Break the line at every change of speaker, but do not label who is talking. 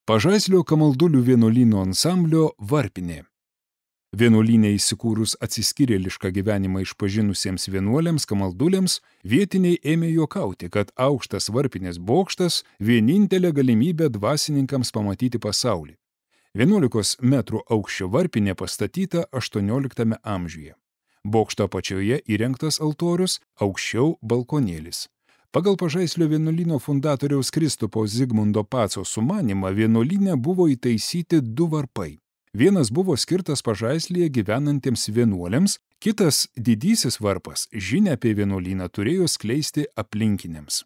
Pažaislio Kamaldulių vienuolyno ansamblio varpinė. Vienuolyne įsikūrus atsiskyrėlišką gyvenimą išpažinusiems vienuoliams kamalduliams, vietiniai ėmė juokauti, kad aukštas varpinės bokštas vienintelė galimybė dvasininkams pamatyti pasaulį. 11 metrų aukščio varpinė pastatyta 18 amžiuje. Bokšto apačioje įrengtas altorius, aukščiau balkonėlis. Pagal Pažaislio vienuolyno fundatoriaus Kristupo Zigmundo Paco sumanymą vienuolyne buvo įtaisyti 2 varpai. Vienas buvo skirtas Pažaislyje gyvenantiems vienuoliams, kitas didysis varpas žinią apie vienuolyną turėjo skleisti aplinkiniams.